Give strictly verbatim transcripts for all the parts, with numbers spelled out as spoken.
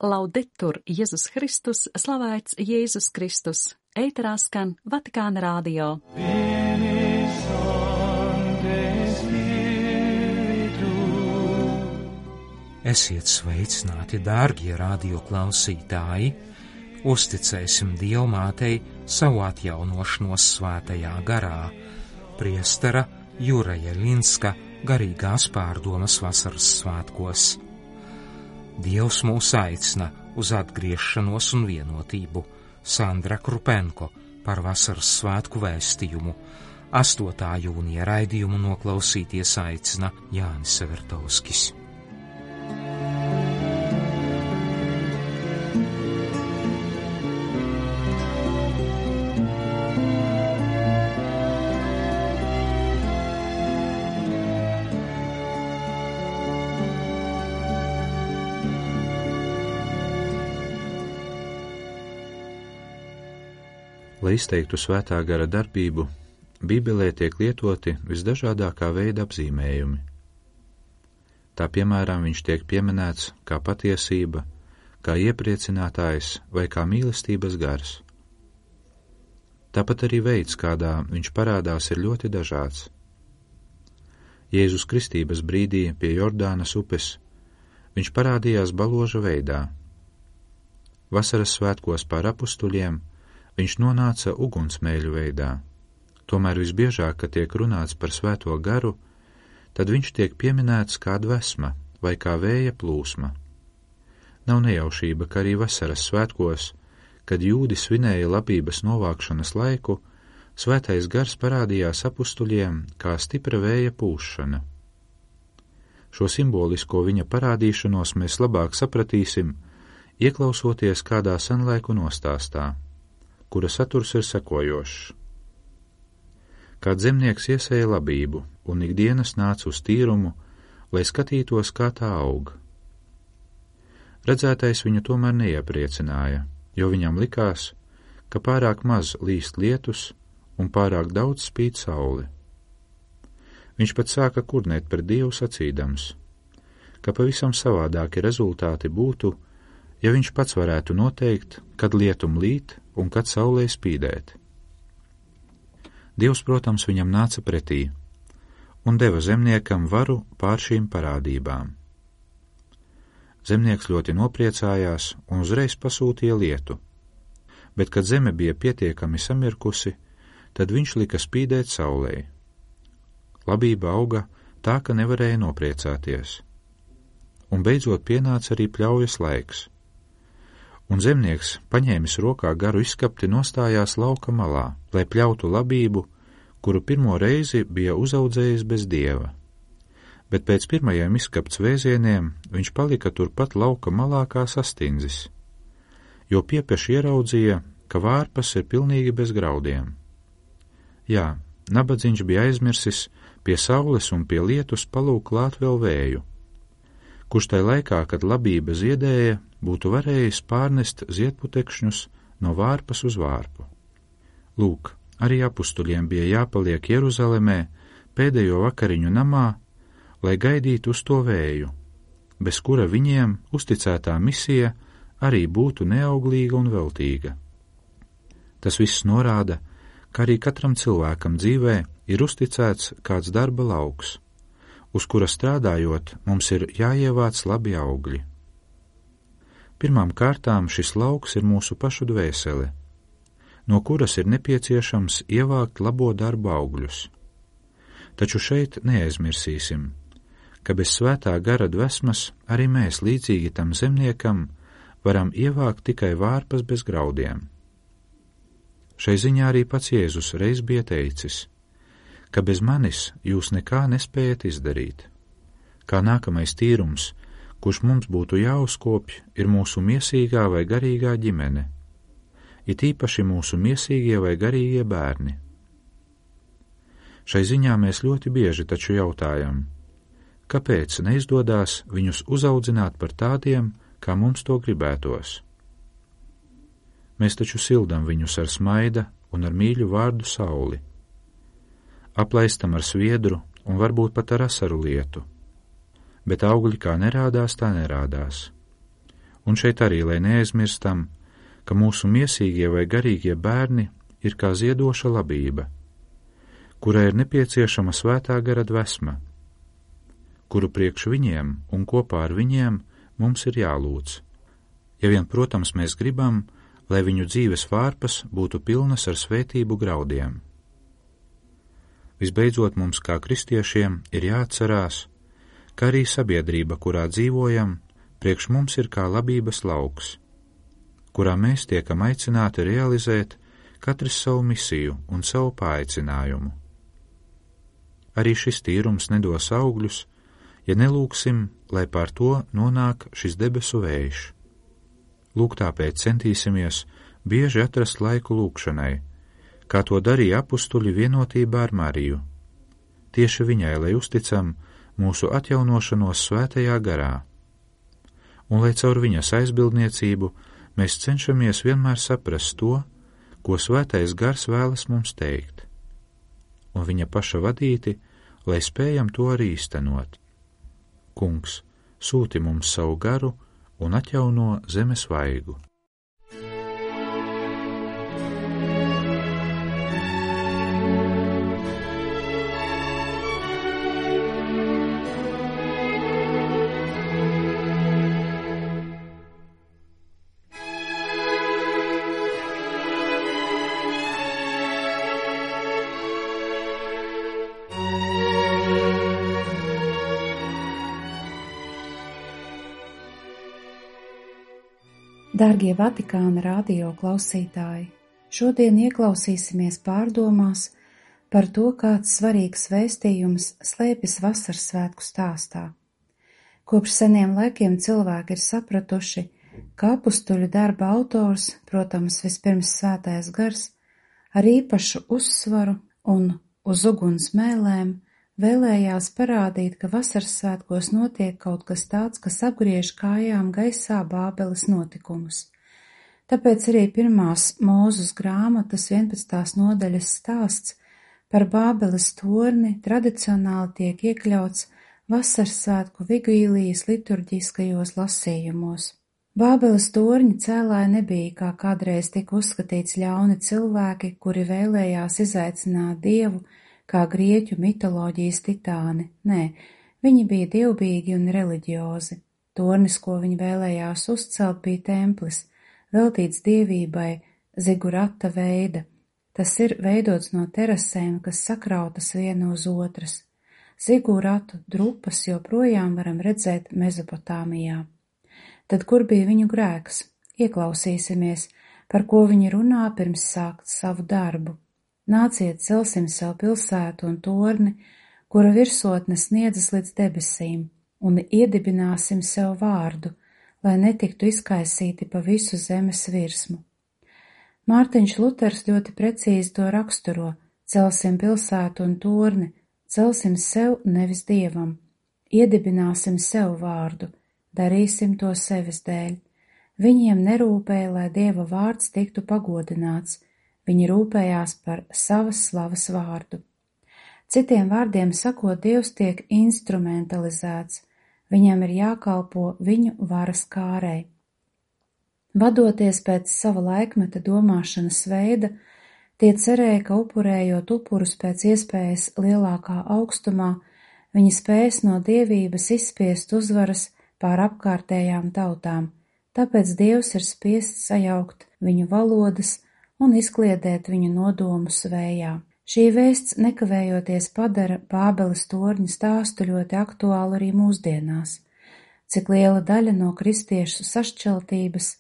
Laudetur Jēzus Kristus, slavēts Jēzus Kristus. Ēterā skan Vatikāna radio. Esiet sveicināti, dārgie radio klausītāji! Uzticēsim Dievmātei savu atjaunošanos svētajā garā. Priestera Juraja Linska garīgās pārdomas vasaras svētkos. Dievs mūs aicina uz atgriešanos un vienotību. Sandra Krupenko par vasaras svētku vēstījumu. astotā jūnija raidījumu noklausīties aicina Jānis Severtovskis. Lai izteiktu svētā gara darbību, Bībelē tiek lietoti visdažādākā veida apzīmējumi. Tā piemēram viņš tiek pieminēts kā patiesība, kā iepriecinātājs vai kā mīlestības gars. Tāpat arī veids, kādā viņš parādās, ir ļoti dažāds. Jēzus kristības brīdī pie Jordānas upes viņš parādījās baloža veidā. Vasaras svētkos pār apustuļiem viņš nonāca ugunsmēļu veidā. Tomēr visbiežāk, kad tiek runāts par svēto garu, tad viņš tiek pieminēts kā dvesma vai kā vēja plūsma. Nav nejaušība, ka arī vasaras svētkos, kad jūdi svinēja labības novākšanas laiku, svētais gars parādījās apustuļiem kā stipra vēja pūšana. Šo simbolisko viņa parādīšanos mēs labāk sapratīsim, ieklausoties kādā senlaiku nostāstā, kura saturs ir sekojošs. Kāds zemnieks iesēja labību un ikdienas nāca uz tīrumu, lai skatītos, kā tā aug. Redzētais viņu tomēr neiepriecināja, jo viņam likās, ka pārāk maz līst lietus un pārāk daudz spīd saule. Viņš pat sāka kurnēt pret Dievu sacīdams, ka pavisam savādāki rezultāti būtu, ja viņš pats varētu noteikt, kad lietum līt un kad saulē spīdēt. Dievs, protams, viņam nāca pretī un deva zemniekam varu pār šīm parādībām. Zemnieks ļoti nopriecājās un uzreiz pasūtīja lietu, bet, kad zeme bija pietiekami samirkusi, tad viņš lika spīdēt saulē. Labība auga tā, ka nevarēja nopriecāties, un beidzot pienāca arī pļaujas laiks. Un zemnieks, paņēmis rokā garu izskapti, nostājās lauka malā, lai pļautu labību, kuru pirmo reizi bija uzaudzējis bez Dieva. Bet pēc pirmajiem izskapts vēzieniem viņš palika turpat lauka malā kā sastindzis, jo piepeši ieraudzīja, ka vārpas ir pilnīgi bez graudiem. Jā, nabadzīņš bija aizmirsis pie saules un pie lietus palūk klāt vēl vēju, kurš tai laikā, kad labība ziedēja, būtu varējis pārnest ziedputekšņus no vārpas uz vārpu. Lūk, arī apustuļiem bija jāpaliek Jeruzalemē pēdējo vakariņu namā, lai gaidītu uz to vēju, bez kura viņiem uzticētā misija arī būtu neauglīga un veltīga. Tas viss norāda, ka arī katram cilvēkam dzīvē ir uzticēts kāds darba lauks, uz kura strādājot mums ir jāievāc labi augļi. Pirmām kārtām šis lauks ir mūsu pašu dvēsele, no kuras ir nepieciešams ievākt labo darbu augļus. Taču šeit neaizmirsīsim, ka bez svētā gara dvesmas arī mēs līdzīgi tam zemniekam varam ievākt tikai vārpas bez graudiem. Šai ziņā arī pats Jēzus reiz bija teicis, ka bez manis jūs nekā nespējat izdarīt. Kā nākamais tīrums, kurš mums būtu jāuzkopj, ir mūsu miesīgā vai garīgā ģimene, it īpaši mūsu miesīgie vai garīgie bērni. Šai ziņā mēs ļoti bieži taču jautājam, kāpēc neizdodās viņus uzaudzināt par tādiem, kā mums to gribētos. Mēs taču sildam viņus ar smaida un ar mīļu vārdu sauli, aplaistam ar sviedru un varbūt pat ar asaru lietu, bet augļi kā nerādās, tā nerādās. Un šeit arī, lai neaizmirstam, ka mūsu miesīgie vai garīgie bērni ir kā ziedoša labība, kurai ir nepieciešama svētā gara dvesma, kuru priekš viņiem un kopā ar viņiem mums ir jālūdz. Ja vien, protams, mēs gribam, lai viņu dzīves vārpas būtu pilnas ar svētību graudiem. Visbeidzot, mums kā kristiešiem ir jāatcerās, ka arī sabiedrība, kurā dzīvojam, priekš mums ir kā labības lauks, kurā mēs tiekam aicināti realizēt katrs savu misiju un savu paaicinājumu. Arī šis tīrums nedos augļus, ja nelūksim, lai pār to nonāk šis debesu vējš. Lūk, tāpēc centīsimies bieži atrast laiku lūkšanai, kā to darīja apustuļi vienotībā ar Mariju. Tieši viņai, lai uzticam mūsu atjaunošanos svētajā garā, un lai caur viņas aizbildniecību mēs cenšamies vienmēr saprast to, ko svētais gars vēlas mums teikt, un viņa paša vadīti, lai spējam to arī īstenot. Kungs, sūti mums savu garu un atjauno zemes vaigu. Dārgie Vatikāna radio klausītāji, šodien ieklausīsimies pārdomās par to, kāds svarīgs vēstījums slēpjas vasaras svētku stāstā. Kopš seniem laikiem cilvēki ir sapratuši, ka apustuļu darba autors, protams, vispirms svētais gars, ar īpašu uzsvaru un uz uguns mēlēm vēlējās parādīt, ka vasaras svētkos notiek kaut kas tāds, kas apgriež kājām gaisā Bābeles notikumus. Tāpēc arī pirmās Mūzes grāmatas vienpadsmitās nodaļas stāsts par Bābeles torni tradicionāli tiek iekļauts vasaras svētku vigīlijas liturģiskajos lasījumos. Bābeles torņa cēlāji nebija, kā kādreiz tika uzskatīts, ļauni cilvēki, kuri vēlējās izaicināt Dievu, kā grieķu mitoloģijas titāni. Nē, viņi bija dievbijīgi un reliģiozi. Tornis, ko viņi vēlējās uzcelt, bija templis, veltīts dievībai zigurata veida. Tas ir veidots no terasēm, kas sakrautas viena uz otras. Ziguratu drupas joprojām varam redzēt Mezopotāmijā. Tad kur bija viņu grēks? Ieklausīsimies, par ko viņi runā pirms sākt savu darbu. Nāciet, celsim sev pilsētu un torni, kura virsotne sniedzas līdz debesīm, un iedibināsim sev vārdu, lai netiktu izkaisīti pa visu zemes virsmu. Mārtiņš Luters ļoti precīzi to raksturo: celsim pilsētu un torni, celsim sev, nevis Dievam, iedibināsim sev vārdu, darīsim to sevis dēļ. Viņiem nerūpēja, lai Dieva vārds tiktu pagodināts, viņi rūpējās par savas slavas vārdu. Citiem vārdiem sakot, Dievs tiek instrumentalizēts, viņam ir jākalpo viņu varas kārei. Vadoties pēc sava laikmeta domāšanas veida, tie cerēja, ka upurējot upurus pēc iespējas lielākā augstumā, viņi spēs no dievības izspiest uzvaras pār apkārtējām tautām, tāpēc Dievs ir spiests sajaukt viņu valodas un izkliedēt viņu nodomus vējā. Šī vēsts nekavējoties padara Bābeles torņa stāstu ļoti aktuālu arī mūsdienās. Cik liela daļa no kristiešu sašķeltības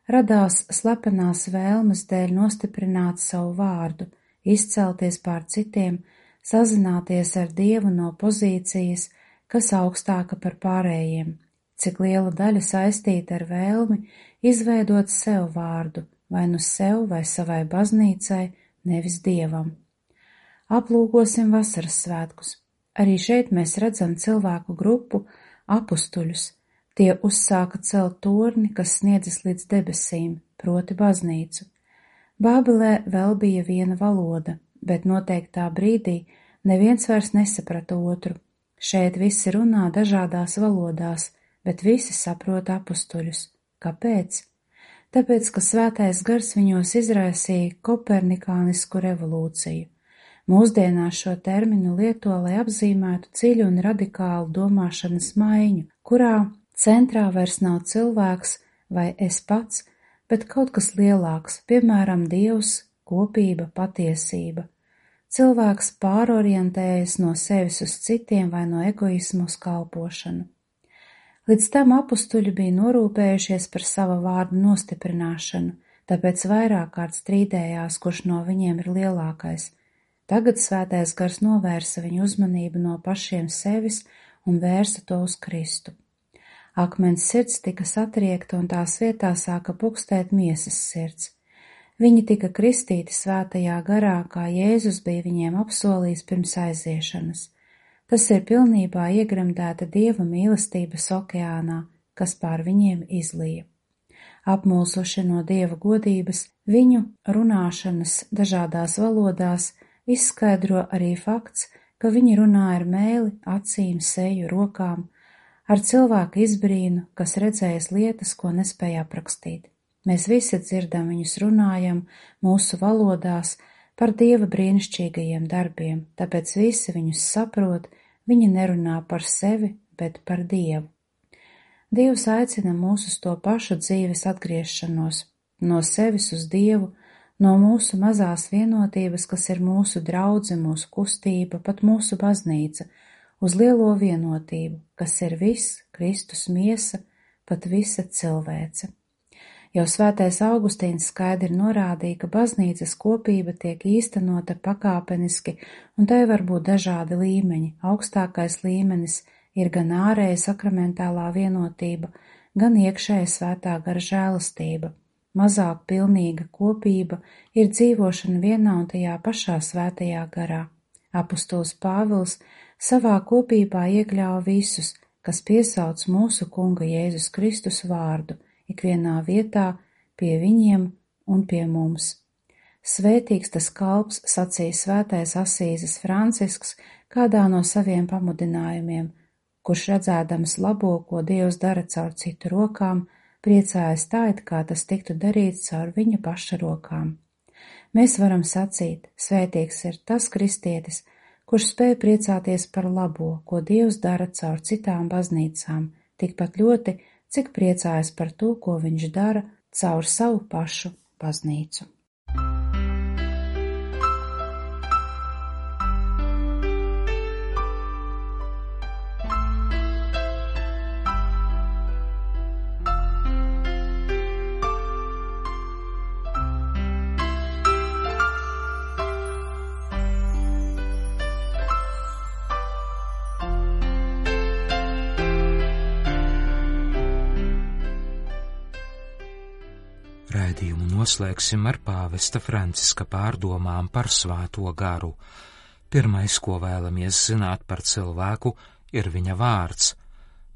radās slepenās vēlmes dēļ nostiprināt savu vārdu, izcelties pār citiem, sazināties ar Dievu no pozīcijas, kas augstāka par pārējiem. Cik liela daļa saistīta ar vēlmi izveidot sev vārdu, vai nu sev vai savai baznīcai, nevis Dievam. Aplūkosim vasaras svētkus. Arī šeit mēs redzam cilvēku grupu apustuļus. Tie uzsāka celt torni, kas sniedzas līdz debesīm, proti baznīcu. Bābelē vēl bija viena valoda, bet noteiktā brīdī neviens vairs nesaprata otru. Šeit visi runā dažādās valodās, bet visi saprot apustuļus. Kāpēc? Tāpēc, ka svētais gars viņos izraisīja kopernikānisku revolūciju. Mūsdienās šo terminu lieto, lai apzīmētu dziļu un radikālu domāšanas maiņu, kurā centrā vairs nav cilvēks vai es pats, bet kaut kas lielāks, piemēram, Dievs, kopība, patiesība. Cilvēks pārorientējas no sevis uz citiem vai no egoismu uz kalpošanu. Līdz tam apustuļi bija norūpējušies par sava vārda nostiprināšanu, tāpēc vairāk kārt strīdējās, kurš no viņiem ir lielākais. Tagad svētais gars novērsa viņu uzmanību no pašiem sevis un vērsa to uz Kristu. Akmens sirds tika satriekta un tās vietā sāka pukstēt miesas sirds. Viņi tika kristīti svētajā garā, kā Jēzus bija viņiem apsolījis pirms aiziešanas. Tas ir pilnībā iegremdēta Dieva mīlestības okeānā, kas pār viņiem izlija. Apmulsuši no Dieva godības, viņu runāšanas dažādās valodās izskaidro arī fakts, ka viņi runā ar mēli, acīm, seju, rokām, ar cilvēku izbrīnu, kas redzējis lietas, ko nespēja aprakstīt. Mēs visi dzirdam viņus runājam mūsu valodās par Dieva brīnišķīgajiem darbiem, tāpēc visi viņus saprot, viņi nerunā par sevi, bet par Dievu. Dievs aicina mūs uz to pašu dzīves atgriešanos, no sevis uz Dievu, no mūsu mazās vienotības, kas ir mūsu draudze, mūsu kustība, pat mūsu baznīca, uz lielo vienotību, kas ir viss, Kristus miesa, pat visa cilvēce. Jau svētais Augustīns skaidri norādīja, ka baznīcas kopība tiek īstenota pakāpeniski, un tai var būt dažādi līmeņi. Augstākais līmenis ir gan ārēja sakramentālā vienotība, gan iekšēja svētā gara žēlastība. Mazāk pilnīga kopība ir dzīvošana vienā un tajā pašā svētajā garā. Apustulis Pāvils savā kopībā iekļāva visus, kas piesauc mūsu Kunga Jēzus Kristus vārdu, ikvienā vietā, pie viņiem un pie mums. Svētīgs tas kalps, sacīja svētais Asīzes Francisks kādā no saviem pamudinājumiem, kurš redzēdams labo, ko Dievs dara caur citu rokām, priecājas tā, it kā tas tiktu darīts caur viņa paša rokām. Mēs varam sacīt, svētīgs ir tas kristietis, kurš spēj priecāties par labo, ko Dievs dara caur citām baznīcām, tikpat ļoti, cik priecājas par to, ko viņš dara caur savu pašu baznīcu. Raidījumu noslēgsim ar pāvesta Franciska pārdomām par svēto garu. Pirmais, ko vēlamies zināt par cilvēku, ir viņa vārds.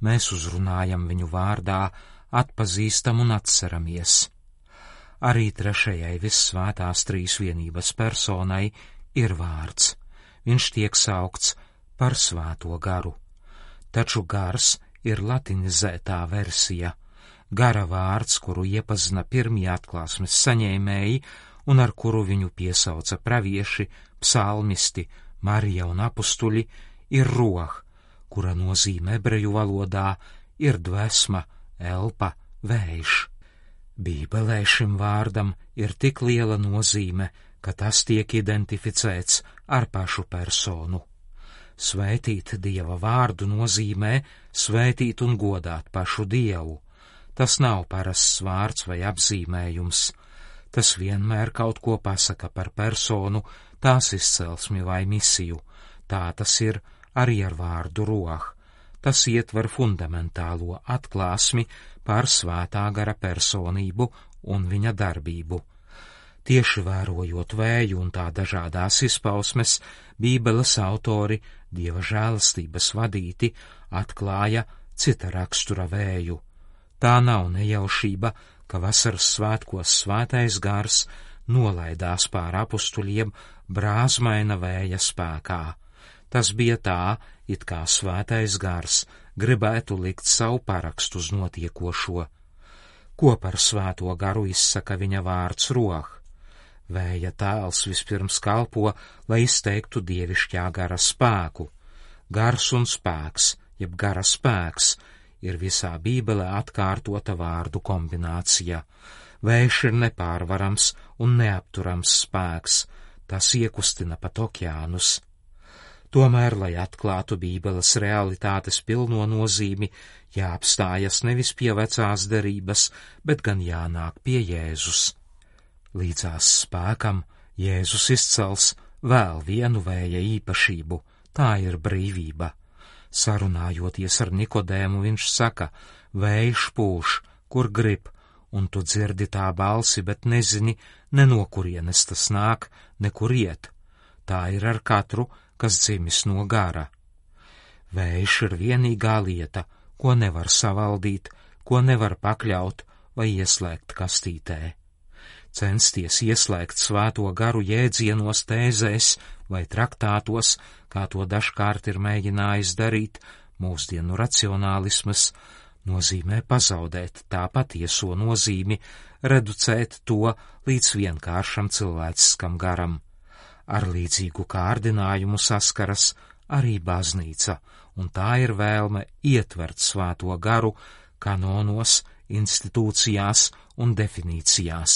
Mēs uzrunājam viņu vārdā, atpazīstam un atceramies. Arī trešajai vissvētās trīsvienības personai ir vārds. Viņš tiek saukts par svēto garu. Taču gars ir latinizētā versija. Gara vārds, kuru iepazina pirmie atklāsmes saņēmēji un ar kuru viņu piesauca pravieši, psalmisti, Marija un apustuļi, ir roh, kura nozīme ebreju valodā ir dvēsma, elpa, vējš. Bībelē šim vārdam ir tik liela nozīme, ka tas tiek identificēts ar pašu personu. Svētīt Dieva vārdu nozīmē svētīt un godāt pašu Dievu. Tas nav parasts vārds vai apzīmējums. Tas vienmēr kaut ko pasaka par personu, tās izcelsmi vai misiju. Tā tas ir arī ar vārdu roh. Tas ietver fundamentālo atklāsmi par svētā gara personību un viņa darbību. Tieši vērojot vēju un tā dažādās izpausmes, Bībeles autori, Dieva žēlastības vadīti, atklāja cita rakstura vēju. Tā nav nejaušība, ka vasaras svētkos svētais gars nolaidās pār apustuļiem brāzmaina vēja spēkā. Tas bija tā, it kā svētais gars gribētu likt savu parakstu uz notiekošo. Ko par svēto garu izsaka viņa vārds roh? Vēja tēls vispirms kalpo, lai izteiktu dievišķā gara spēku. Gars un spēks, jeb gara spēks, ir visā Bībelē atkārtota vārdu kombinācija. Vējš ir nepārvarams un neapturams spēks, tas iekustina pat okeānus. Tomēr, lai atklātu Bībeles realitātes pilno nozīmi, jāapstājas nevis pie vecās derības, bet gan jānāk pie Jēzus. Līdzās spēkam Jēzus izcels vēl vienu vēja īpašību, tā ir brīvība. Sarunājoties ar Nikodēmu, viņš saka, vējš pūš, kur grib, un tu dzirdi tā balsi, bet nezini, ne no kurienes tas nāk, nekur iet. Tā ir ar katru, kas dzimis no gara. Vējš ir vienīgā lieta, ko nevar savaldīt, ko nevar pakļaut vai ieslēgt kastītē. Censties ieslēgt svēto garu jēdzienos, tēzēs vai traktātos, kā to dažkārt ir mēģinājis darīt mūsdienu racionālisms, nozīmē pazaudēt tā patieso nozīmi, reducēt to līdz vienkāršam cilvēciskam garam. Ar līdzīgu kārdinājumu saskaras arī baznīca, un tā ir vēlme ietvert svēto garu kanonos, institūcijās un definīcijās.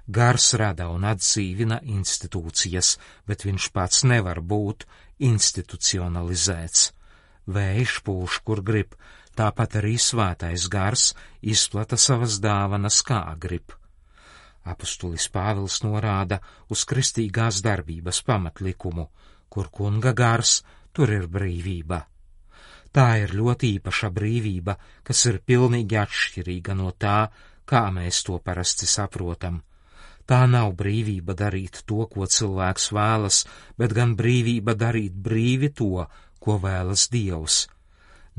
Gars rada un atdzīvina institūcijas, bet viņš pats nevar būt institucionalizēts. Vējš pūš, kur grib, tāpat arī svētais gars izplata savas dāvanas, kā grib. Apustulis Pāvils norāda uz kristīgās darbības pamatlikumu, kur kunga gars, tur ir brīvība. Tā ir ļoti īpaša brīvība, kas ir pilnīgi atšķirīga no tā, kā mēs to parasti saprotam. Tā nav brīvība darīt to, ko cilvēks vēlas, bet gan brīvība darīt brīvi to, ko vēlas Dievs.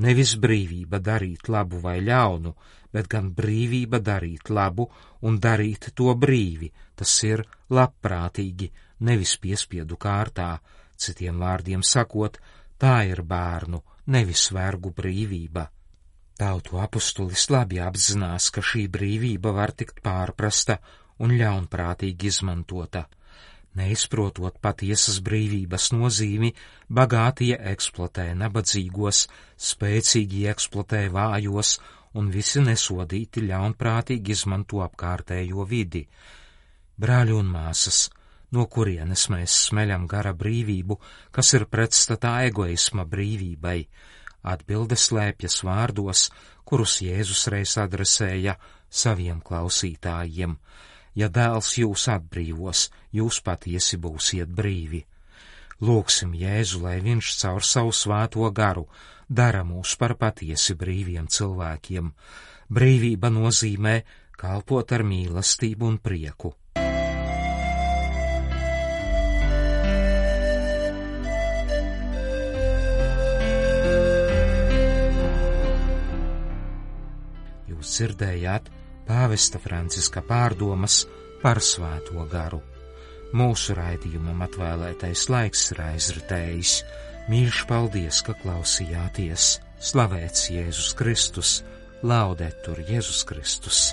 Nevis brīvība darīt labu vai ļaunu, bet gan brīvība darīt labu un darīt to brīvi, tas ir labprātīgi, nevis piespiedu kārtā, citiem vārdiem sakot, tā ir bērnu, nevis vergu brīvība. Tautu apustulis labi apzinās, ka šī brīvība var tikt pārprasta un ļaunprātīgi izmantota. Neizprotot patiesas brīvības nozīmi, bagātie eksploatē nabadzīgos, spēcīgi eksploatē vājos, un visi nesodīti ļaunprātīgi izmanto apkārtējo vidi. Brāļi un māsas, no kurienes mēs smeļam gara brīvību, kas ir pretstatā egoisma brīvībai? Atbilde slēpjas vārdos, kurus Jēzus reiz adresēja saviem klausītājiem. Ja dēls jūs atbrīvos, jūs patiesi būsiet brīvi. Lūgsim Jēzu, lai viņš caur savu svēto garu dara mūs par patiesi brīviem cilvēkiem. Brīvība nozīmē kalpot ar mīlestību un prieku. Jūs dzirdējāt pāvesta Franciska pārdomas par svēto garu. Mūsu raidījumam atvēlētais laiks ir aizritējis. Mīļš paldies, ka klausījāties. Slavēts Jēzus Kristus, laudetur Jēzus Kristus.